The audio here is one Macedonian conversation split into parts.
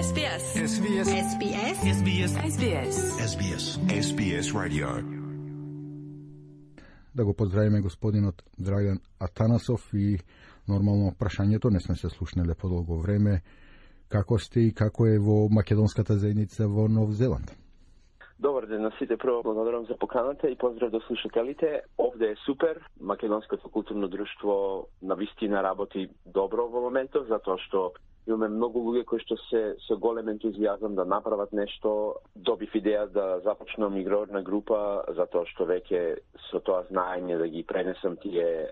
SBS. SBS. SBS. SBS. SBS. SBS. SBS Radio. Да го поздравиме господинот Драган Атанасов и нормално прашањето, не сме се слушнале подолго време. Како сте и како е во македонската заедница во Нов Зеланд? Добар ден на сите, прво благодарам за поканата и поздрав до слушателите. Овде е супер, македонското културно друштво навистина работи добро во моментов, затоа што имаме многу луѓе кои што се со голем ентузијазам да направат нешто. Добив идеја да започнам игрорна група, затоа што веќе со тоа знаење да ги пренесам тие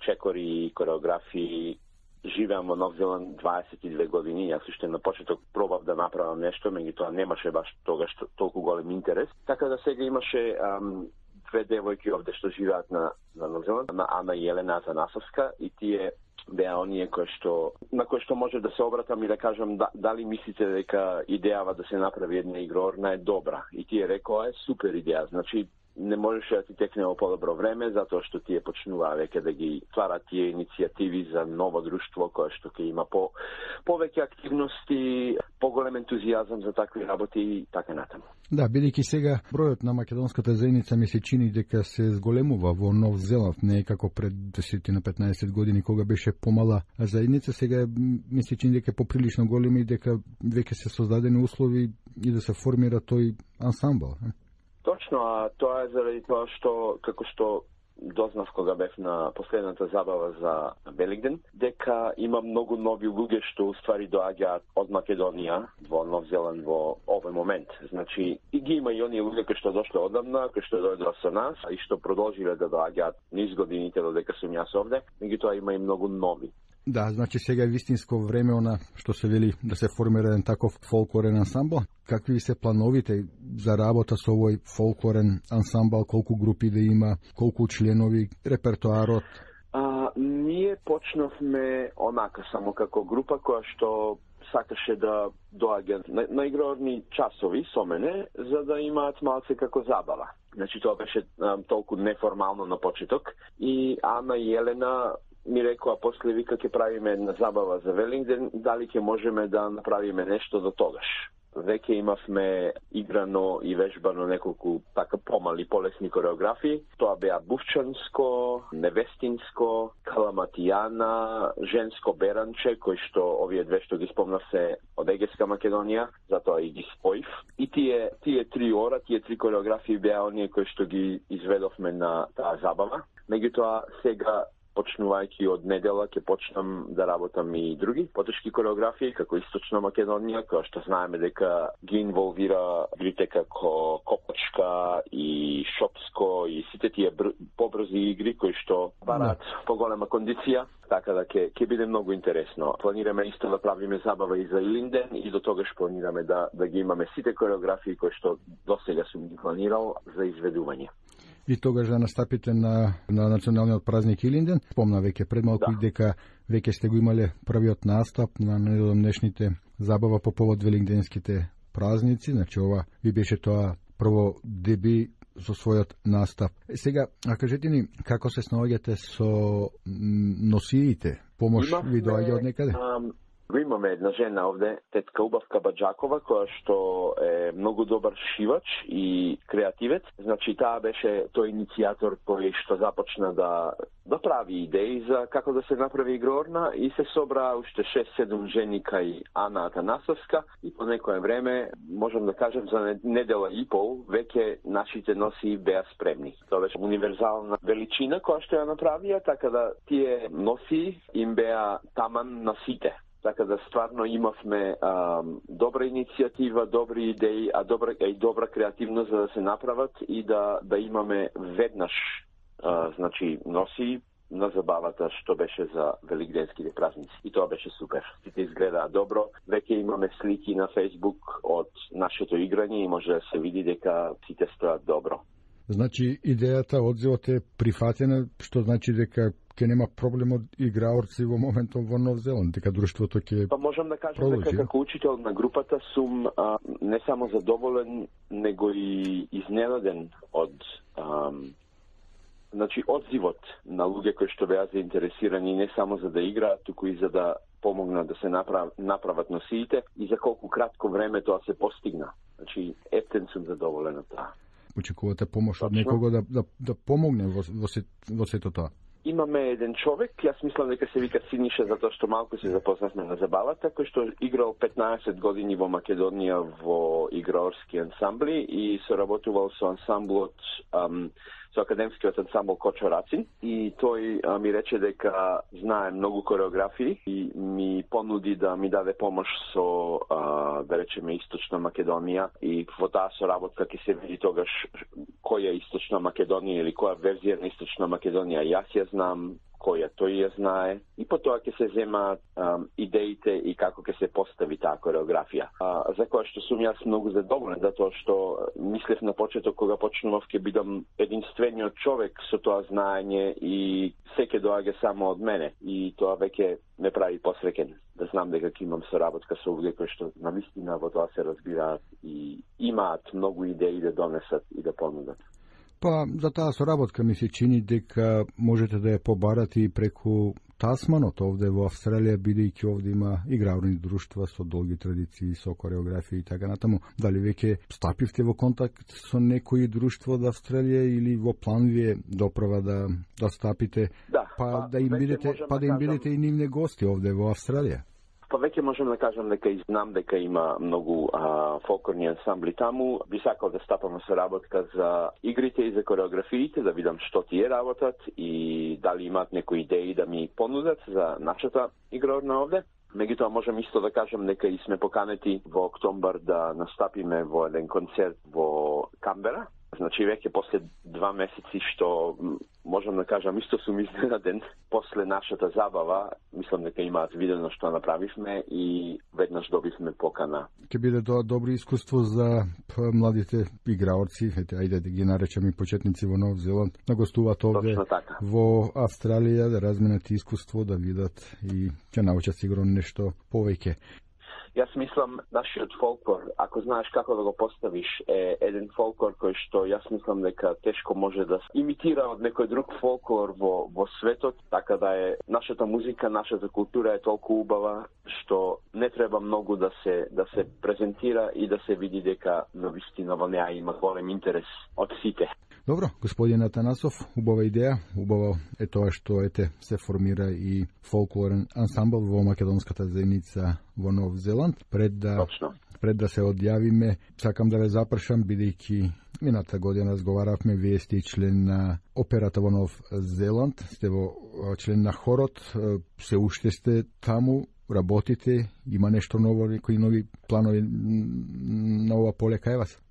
чекори, кореографии. Живеам во Нов Зеланд 22 години, јас уште на почеток пробав да направам нешто, меѓутоа немаше баш тогаш толку голем интерес. Така да сега имаше две девојки овде што живеат на Нов Зеланд, на Ана и Елена Атанасовска, и тие беа оние на кои што може да се обратам и да кажам дали мислите дека идејава да се направи една игрорна е добра. И тие рекоа е супер идеја, значи не можеше да ти текне во подобро време, затоа што тие почнуваа веќе да ги тварат тие иницијативи за ново друштво кое што ќе има повеќе активности, поголем ентузијазам за такви работи и така натаму. Да, бидејќи сега бројот на македонската заедница ми се чини дека се зголемува во Нов Зеланд, не е како пред 10 на 15 години кога беше помала заедница, сега ми се чини дека е поприлично голема и дека веќе се создадени услови и да се формира тој ансамбл. Точно, а тоа е заради тоа што, како што дознав кога бев на последната забава за Великден, дека има многу нови луѓе што уствари доаѓаат од Македонија во Нов Зеланд во овој момент. Значи, и ги има и оние луѓе кои што дошле одамна, кои што дојдоа со нас и што продолжиле да доаѓаат низ годините додека сум јас овде, меѓутоа има и многу нови. Да, значи сега е вистинско време она што се вели да се формира еден таков фолклорен ансамбл. Какви се плановите за работа со овој фолклорен ансамбл, колку групи да има, колку членови, репертоарот? Ние почнавме онака само како група која што сакаше да доаѓа на игрорни часови со мене, за да имаат малце како забава. Значи тоа беше толку неформално на почеток и Ана и Елена ми рекоа после вика ќе правиме една забава за Велингден, дали ќе можеме да направиме нешто до тогаш. Веќе имавме играно и вежбано неколку така помали, полесни кореографии. Тоа беа бувчанско, невестинско, каламатијана, женско беранче, кои што овие две што ги спомнав се од Егеска Македонија, затоа и ги споив. И тие 3 ора, тие 3 кореографии беа оние кои што ги изведовме на таа забава. Меѓутоа сега почнувајќи од недела ќе почнам да работам и други потешки кореографии, како Источна Македонија, која што знаеме дека ги инволвира игрите како копачка и шопско и сите тие побрзи игри кои што бараат поголема кондиција, така да ќе биде многу интересно. Планираме исто да правиме забава и за Илинден и до тогаш планираме да ги имаме сите кореографии кои што досега сум ги планирал за изведување. И тогаш да настапите на националниот празник Илинден. Спомна веќе пред малку дека веќе сте го имале првиот настап на недомнешните забава по повод велингденските празници. Значи ова ви беше тоа прво деби со својот настап. Сега, а кажете ни како се снаоѓате со носиите? Помош ви доаѓа од некаде? Имаме една жена овде, тетка Убавка Баджакова, која што е многу добар шивач и креативец. Значи, таа беше тој иницијатор кој што започна да прави идеи за како да се направи игрорна и се собра уште 6-7 жени кај Ана Атанасовска и по некое време, можам да кажем за недела и пол, веќе нашите носи беа спремни. Тоа беше универзална величина која што ја направија, така да тие носи им беа таман на сите. Така да стварно имавме добра иницијатива, добри идеи, добра креативност за да се направат и да имаме веднаш значи носи на забавата што беше за великденските празници. И тоа беше супер. Сите изгледаа добро. Веќе имаме слики на Facebook од нашето играње и може да се види дека сите стојат добро. Значи идејата, одзивот е прифатена, што значи дека ќе нема проблем од играорци во моментот во Нов Зеланд, дека друштвото ќе Па можам да кажам дека како учител на групата сум не само задоволен, него и изненаден од одзивот на луѓе кои што беа заинтересирани не само за да играат, туку и за да помогнат да се направат носиите и за колку кратко време тоа се постигна. Значи, ептен сум задоволен од тоа. Очекувате помош од некого да помогне во сето тоа? Имаме еден човек, јас мислам дека се вика Синиша, затоа што малку се запознавме на забавата, кој што играл 15 години во Македонија во играорски ансамбли и соработувал со ансамблот, со академскиот ансамбл Кочо Рацин, и тој ми рече дека знае многу кореографии и ми понуди да ми даде помош со, да речеме, Источна Македонија, и во таа соработка ќе се види тогаш која е Источна Македонија или која верзија на Источна Македонија јас ја знам, која тој ја знае, и потоа ќе се земаат идеите и како ќе се постави таа кореографија. За која што сум јас многу задоволен, затоа што мислев на почеток кога почнував ќе бидам единствениот човек со тоа знаење и се ќе доаѓа само од мене, и тоа веќе ме прави посреќен да знам дека ќе имам соработка со луѓе кои што навистина во тоа се разбираат и имаат многу идеи да донесат и да понудат. Па, за таа соработка ми се чини дека можете да ја побарате и преку Тасманот овде во Австралија, бидејќи овде има играурни друштва со долги традиции, со кореографија и така натаму. Дали веќе стапивте во контакт со некои друштво од Австралија или во план ви е доправа да стапите, да им бидете и нивни гости овде во Австралија? Па веќе можам да кажам дека и знам дека има многу фолклорни ансамбли таму. Би сакал да стапам со работка за игрите и за кореографиите, да видам што тие работат и дали имаат некои идеи да ми понудат за нашата играорна овде. Меѓутоа можам исто да кажам дека и сме поканети во октомбар да настапиме во еден концерт во Камбера. Значи веќе после 2 месеци што можам да кажам исто сум изненаден после нашата забава, мислам дека имаат видено што направивме и веднаш добивме покана. Ќе биде тоа добро искуство за младите играорци, ајде да ги наречеме почетници во Нов Зеланд, да гостуваат овде во Австралија, да разменат искуство, да видат и ќе научат сигурно нешто повеќе. Јас мислам, нашиот фолклор, ако знаеш како да го поставиш, е еден фолклор кој што јас мислам дека тешко може да имитира од некој друг фолклор во светот, така да е нашата музика, нашата култура е толку убава што не треба многу да се презентира и да се види дека навистина во неа има голем интерес од сите. Добро, господин Атанасов, убава идеја, убаво е тоа што се формира и фолклорен ансамбл во македонската заедница во Нов Зеланд. Пред да се одјавиме, сакам да ве запрашам, бидејќи мината година разговаравме, вие сте член на операта во Нов Зеланд, сте член на хорот, се уште сте таму, работите, има нешто ново, некои нови планови на ова поле кај вас?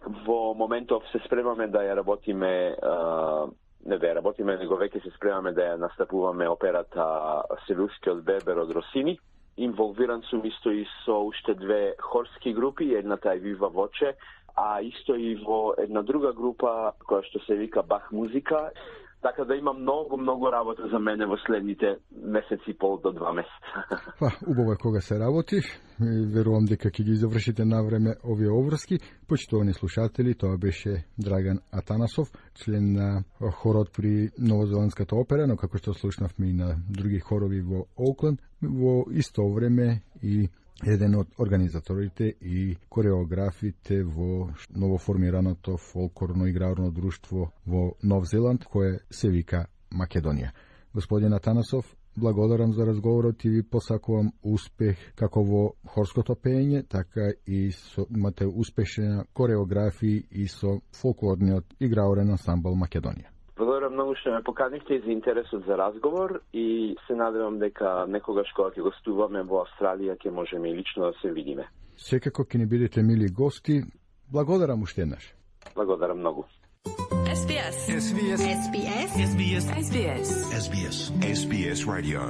Во моментов се спремаме да ја работиме, него веќе се спремаме да ја настапуваме операта Севилскиот Бербер од Росини. Инволвиран сум исто и со уште 2 хорски групи, едната е Вива Воче, а исто и во една друга група која што се вика Бах музика. Така да има многу работа за мене во следните месеци и пол до 2 месеца. Па, убаво е кога се работи. Верувам дека ќе ги завршите на време овие обврски. Почитувани слушатели, тоа беше Драган Атанасов, член на хорот при Новозеландската опера, но како што слушнавме и на други хорови во Оукланд, во исто време и еден од организаторите и кореографите во новоформираното фолклорно-играорно друштво во Нов Зеланд, кое се вика Македонија. Господин Атанасов, благодарам за разговорот и ви посакувам успех како во хорското пеење, така и имате успешна кореографија и со фолклорниот играорен ансамбл Македонија. Благодарам многу што ме поканихте и за интересот за разговор и се надевам дека некогаш кога ќе гостуваме во Австралија ќе можеме и лично да се видиме. Секако ќе ни бидете мили гости. Благодарам уште еднаш. Благодарам многу. SBS Radio